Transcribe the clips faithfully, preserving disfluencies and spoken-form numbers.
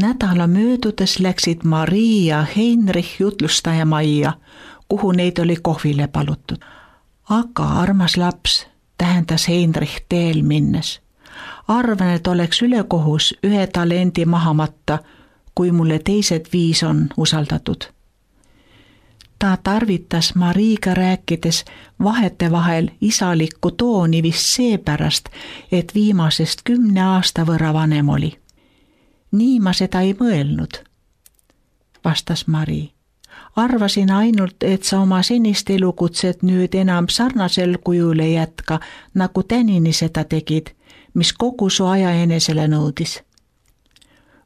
Nädala möödudes läksid Marii ja Heinrich jutlustaja majja, kuhu neid oli kohvile palutud. Aga armas laps, tähendas Heinrich teel minnes. Arvan, et oleks ülekohus ühe talendi maha matta, kui mulle teised viis on usaldatud. Ta tarvitas Mariiga rääkides vahetevahel isalikku tooni vist seepärast, et viimasest kümne aasta võrra vanem oli. Nii ma seda ei mõelnud, vastas Mari. Arvasin ainult, et sa oma senist elukutset nüüd enam sarnasel kujul ei jätka, nagu tänini seda tegid, mis kogu su aja enesele nõudis.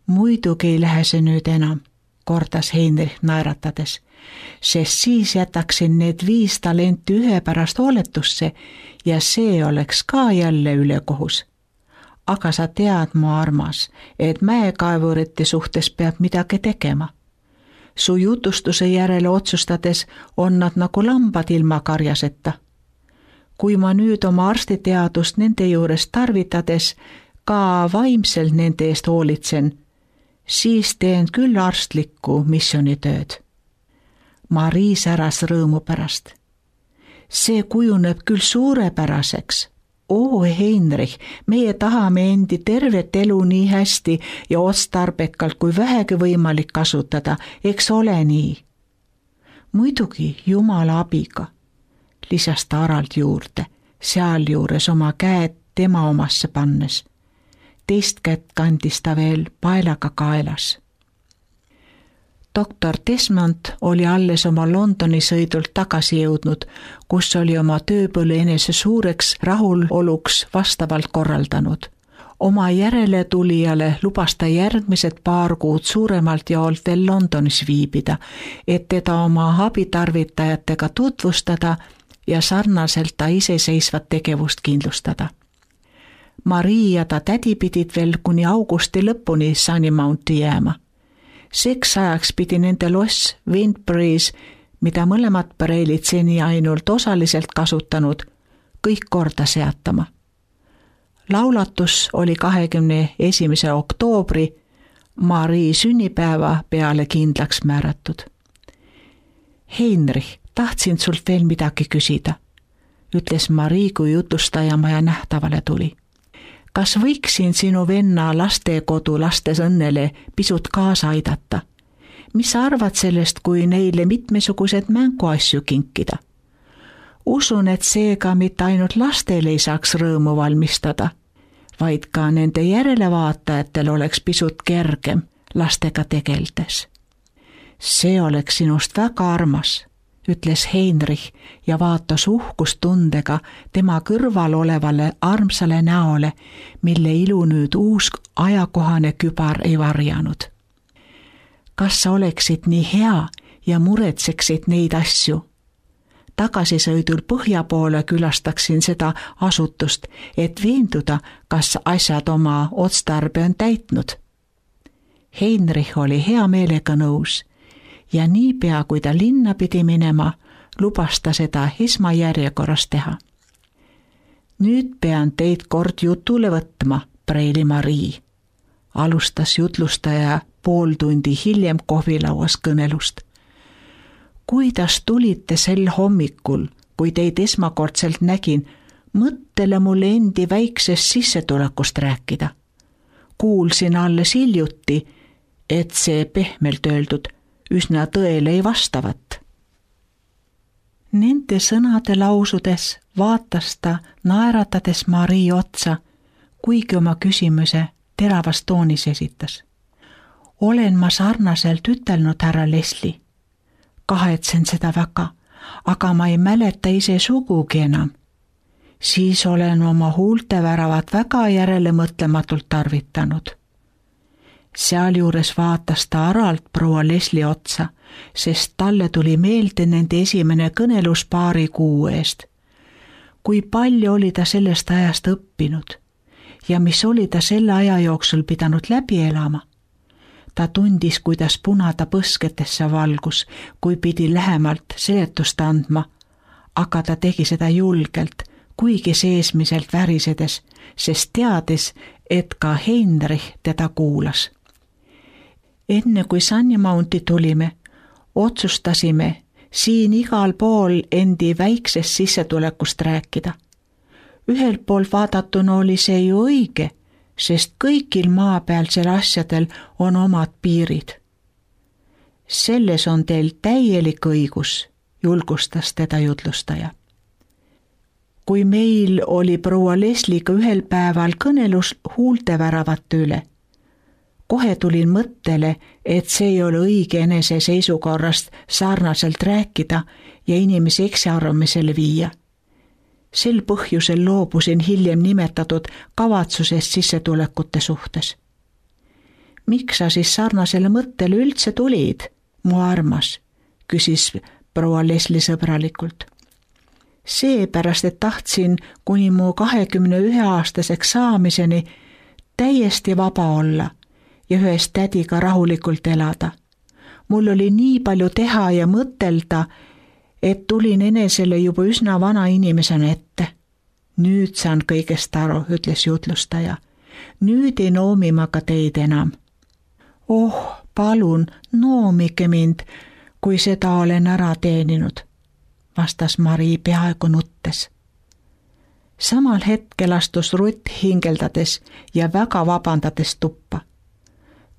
Muidugi ei lähe see nüüd enam, kordas Heinrich naeratades, sest siis jätaksin need viis talenti ühe pärast hooletusse ja see oleks ka jälle ülekohus. Aga sa tead, mu armas, et mäekaevurite suhtes peab midagi tegema. Su jutustuse järele otsustades on nad nagu lambad ilma karjaseta. Kui ma nüüd oma arstiteadust nende juures tarvitades ka vaimselt nende eest hoolitsen, siis teen küll arstlikku missioonitööd. Marii säras rõõmu pärast. See kujuneb küll suurepäraseks. Oo, Heinrich, meie tahame endi tervet elu nii hästi ja otstarbekalt kui vähegi võimalik kasutada, eks ole nii? Muidugi Jumala abiga, lisas ta aralt juurde, sealjuures oma käed tema omasse pannes. Teist kätt kandis ta veel paelaga kaelas. Doktor Desmond oli alles oma Londoni sõidult tagasi jõudnud, kus oli oma tööpõllu enese suureks rahuloluks vastavalt korraldanud. Oma järele tulijale lubas ta järgmised paar kuud suuremalt jaolt veel Londonis viibida, et teda oma abitarvitajatega tutvustada ja sarnaselt ta iseseisvat tegevust kindlustada. Marii ja ta tädi pidid veel kuni augusti lõpuni Sunnymounti jääma. Seks ajaks pidi nende loss Windbury's, mida mõlemad pareilid seni ainult osaliselt kasutanud, kõik korda seatama. Laulatus oli kahekümne esimese oktoobri Marii sünnipäeva peale kindlaks määratud. Heinrich, tahtsin sult veel midagi küsida, ütles Marii, kui jutustaja maja nähtavale tuli. Kas võiksin sinu venna lastekodu lastes õnnele pisut kaasa aidata? Mis sa arvad sellest, kui neile mitmesugused mänguasju kinkida? Usun, et seega mitte ainult lastele ei saaks rõõmu valmistada, vaid ka nende järelevaatajatel oleks pisut kergem lastega tegeldes. See oleks sinust väga armas, ütles Heinrich ja vaatas uhkustundega tema kõrval olevale armsale näole, mille ilu nüüd uus ajakohane kübar ei varjanud. Kas sa oleksid nii hea ja muretseksid neid asju? Tagasisõidul põhja poole külastaksin seda asutust, et veenduda, kas asjad oma otstarbe on täitnud. Heinrich oli hea meelega nõus. Ja niipea, kui ta linna pidi minema, lubas ta seda esmajärjekorras teha. Nüüd pean teid kord jutule võtma, preili Marii, alustas jutlustaja pool tundi hiljem kohvilauas kõnelust. Kuidas tulite sel hommikul, kui teid esmakordselt nägin, mõttele mulle endi väiksest sissetulekust rääkida. Kuulsin alles hiljuti, et see pehmelt öeldud üsna tõele ei vastavat. Nende sõnade lausudes vaatas ta naeratades Marii otsa, kuigi oma küsimuse teravas toonis esitas. Olen ma sarnaselt ütelnud, härra Leslie. Kahetsen seda väga, aga ma ei mäleta ise sugugi enam. Siis olen oma huulteväravat väga järele mõtlematult tarvitanud. Sealjuures vaatas ta aralt proua Leslie otsa, sest talle tuli meelde nende esimene kõnelus paari kuu eest. Kui palju oli ta sellest ajast õppinud ja mis oli ta selle aja jooksul pidanud läbi elama. Ta tundis, kuidas punada põsketesse valgus, kui pidi lähemalt seletust andma, aga ta tegi seda julgelt, kuigi seesmiselt värisedes, sest teadis, et ka Heinrich teda kuulas. Enne kui Sunny Mounti tulime, otsustasime siin igal pool endi väiksest sissetulekust rääkida. Ühelt poolt vaadatuna oli see ju õige, sest kõigil maapealsel asjadel on omad piirid. Selles on teil täielik õigus, julgustas teda jutlustaja. Kui meil oli proua Lesliga ühel päeval kõnelus huulteväravate üle, kohe tulin mõttele, et see ei ole õige enese seisukorrast sarnaselt rääkida ja inimesi eksiarvamisele viia. Sel põhjusel loobusin hiljem nimetatud kavatsusest sissetulekute suhtes. Miks sa siis sarnasele mõttele üldse tulid, mu armas, küsis proua Leslie sõbralikult. Seepärast, et tahtsin kuni mu kahekümne ühe aastaseks saamiseni täiesti vaba olla ja ühes tädiga rahulikult elada. Mul oli nii palju teha ja mõtelda, et tulin enesele juba üsna vana inimesena ette. Nüüd saan kõigest aru, ütles jutlustaja. Nüüd ei noomi ma ka teid enam. Oh, palun, noomige mind, kui seda olen ära teeninud, vastas Marii peaaegu nuttes. Samal hetkel astus Rutt hingeldades ja väga vabandades tuppa.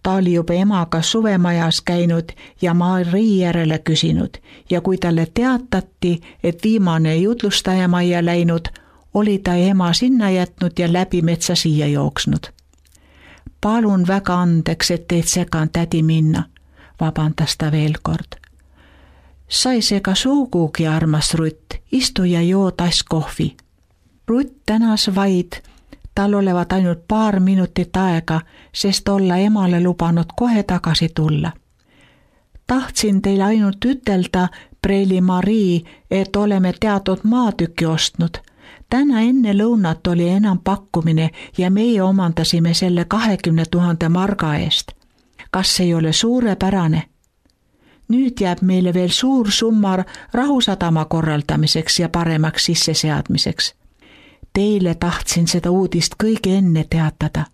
Ta oli juba emaga suvemajas käinud ja Marii järele küsinud ja kui talle teatati, et viimane jutlustaja majja läinud, oli ta ema sinna jätnud ja läbi metsa siia jooksnud. Palun väga andeks, et teid segan tädi minna, vabandas ta veel kord. Sa ei sega sugugi, armas Rutt, istu ja joo tass kohvi. Rutt tänas vaid, tal olevat ainult paar minutit aega, sest olla emale lubanud kohe tagasi tulla. Tahtsin teile ainult ütelda, preili Marii, et oleme teatud maatüki ostnud. Täna enne lõunat oli enam pakkumine ja meie omandasime selle kahekümne tuhande marga eest. Kas ei ole suurepärane? Nüüd jääb meile veel suur summar Rahusadama korraldamiseks ja paremaks sisseseadmiseks. Teile tahtsin seda uudist kõige enne teatada.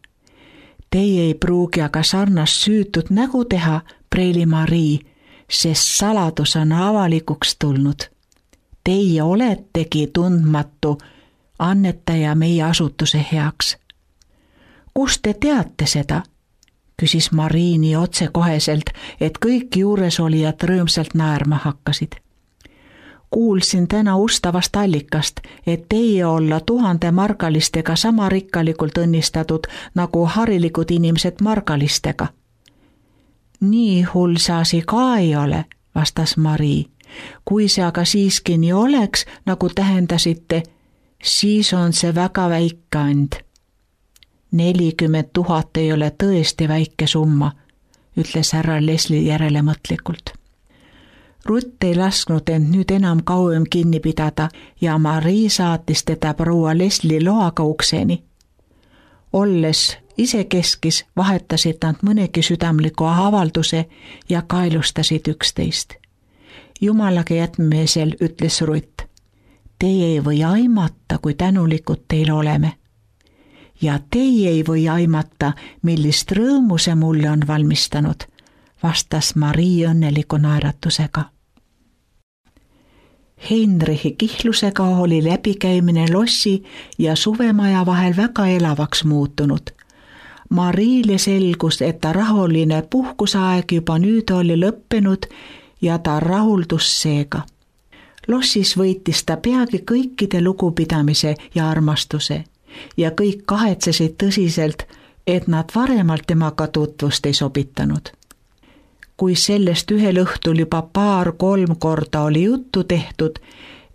Teie ei pruugi aga sarnast süütud nägu teha, preili Marii, sest saladus on avalikuks tulnud. Teie oletegi tundmatu annetaja meie asutuse heaks. Kust te teate seda? Küsis Marii nii otsekoheselt, et kõik juuresolijad rõõmsalt naerma hakkasid. Kuulsin täna ustavast allikast, et teie olla tuhande margalistega sama rikkalikult õnnistatud nagu harilikud inimesed margalistega. Nii hull see asi ka ei ole, vastas Marii. Kui see aga siiski nii oleks, nagu tähendasite, siis on see väga väike and. nelikümmend tuhat ei ole tõesti väike summa, ütles härra Leslie järelemõtlikult. Rutt ei lasknud end nüüd enam kauem kinni pidada ja Marii saatis teda proua Leslie loaga ukseni. Olles isekeskis vahetasid nad mõnegi südamliku avalduse ja kaelustasid üksteist. Jumalage jätmisel ütles Rutt, teie ei või aimata, kui tänulikud teil oleme. Ja teie ei või aimata, millist rõõmu see mulle on valmistanud, vastas Marii õnneliku naeratusega. Heinrichi kihlusega oli läbikäimine lossi ja suvemaja vahel väga elavaks muutunud. Mariile selgus, et ta rahuline puhkusaeg juba nüüd oli lõppenud ja ta rahuldus seega. Lossis võitis ta peagi kõikide lugupidamise ja armastuse ja kõik kahetsesid tõsiselt, et nad varemalt temaga tutvust ei sobitanud. Kui sellest ühel õhtul juba paar-kolm korda oli juttu tehtud,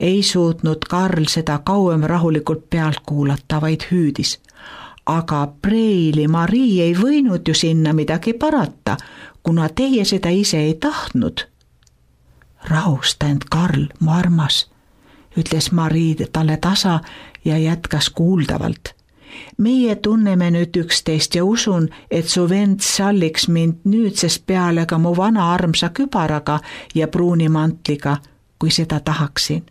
ei suutnud Karl seda kauem rahulikult pealt kuulata, vaid hüüdis. Aga preili Marii ei võinud ju sinna midagi parata, kuna teie seda ise ei tahtnud. Rahusta end, Karl, mu armas, ütles Marii talle tasa ja jätkas kuuldavalt. Meie tunneme nüüd üksteist ja usun, et su vend salliks mind nüüdsest peale ka mu vana armsa kübaraga ja pruuni mantliga, kui seda tahaksin.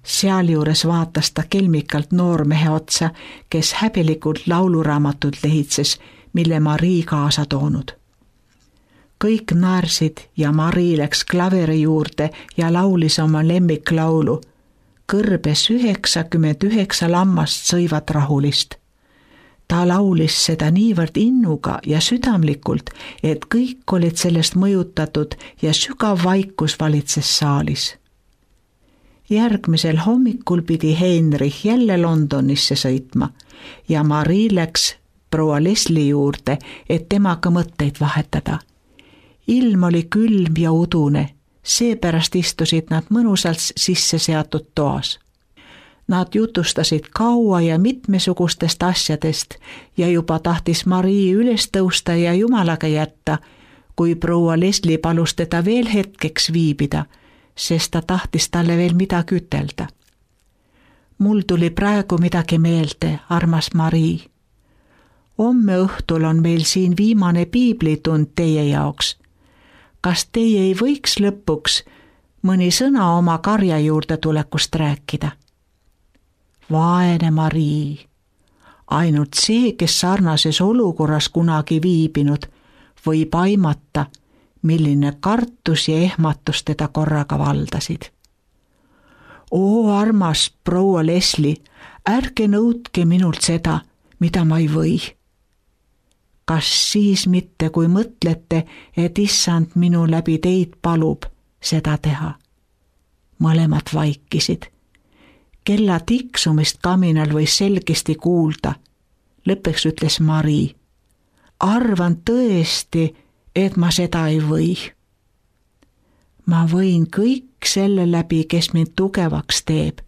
Sealjuures vaatas ta kelmikalt noormehe otsa, kes häbelikult lauluraamatut lehitses, mille Marii kaasa toonud. Kõik naersid ja Mari läks klaveri juurde ja laulis oma lemmiklaulu. Kõrbes üheksakümmend üheksa lammast sõivad rahulist. Ta laulis seda niivõrd innuga ja südamlikult, et kõik olid sellest mõjutatud ja sügav vaikus valitses saalis. Järgmisel hommikul pidi Heinrich jälle Londonisse sõitma ja Mari läks proua Leslie juurde, et temaga mõtteid vahetada. Ilm oli külm ja udune, seepärast istusid nad mõnusalt sisse seatud toas. Nad jutustasid kaua ja mitmesugustest asjadest ja juba tahtis Mari üles tõusta ja Jumalaga jätta, kui proua Leslie palus teda veel hetkeks viibida, sest ta tahtis talle veel midagi ütelda. Mul tuli praegu midagi meelde, armas Mari. Homme õhtul on meil siin viimane piiblitund teie jaoks. Kas teie ei võiks lõpuks mõni sõna oma karja juurde tulekust rääkida? Vaene Mari. Ainult see, kes sarnases olukorras kunagi viibinud, võib aimata, milline kartus ja ehmatus teda korraga valdasid. Oo, armas proua Leslie, ärge nõudke minult seda, mida ma ei või. Kas siis mitte, kui mõtlete, et issand minu läbi teid palub seda teha? Mõlemad vaikisid. Kella tiksumist kaminal võis selgesti kuulda. Lõppeks ütles Mari. Arvan tõesti, et ma seda ei või. Ma võin kõik selle läbi, kes mind tugevaks teeb,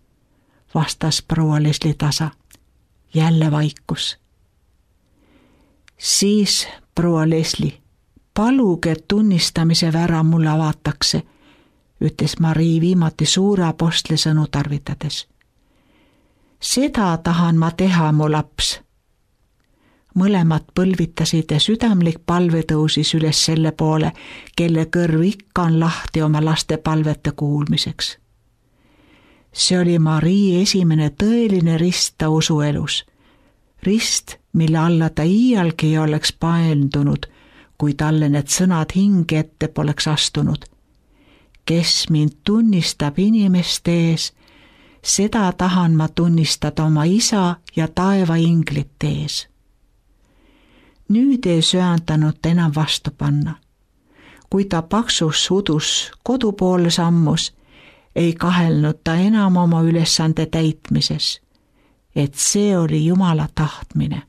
vastas proua Leslie tasa. Jälle vaikus. Siis, proua Leslie, paluge, et tunnistamise vära mulle avatakse, ütles Mari viimati suure apostli sõnu tarvitades. Seda tahan ma teha, mu laps. Mõlemad põlvitasid ja südamlik palve tõusis üles selle poole, kelle kõrv ikka on lahti oma laste palvete kuulmiseks. See oli Mari esimene tõeline rist ta usuelus. Rist, mille alla ta iialgi ei oleks paendunud, kui talle need sõnad hinge ette poleks astunud. Kes mind tunnistab inimeste ees, seda tahan ma tunnistada oma isa ja taeva inglite ees. Nüüd ei söandanud ta enam vastu panna. Kui ta paksus udus kodu poole sammus, ei kahelnud ta enam oma ülesande täitmises, et see oli Jumala tahtmine.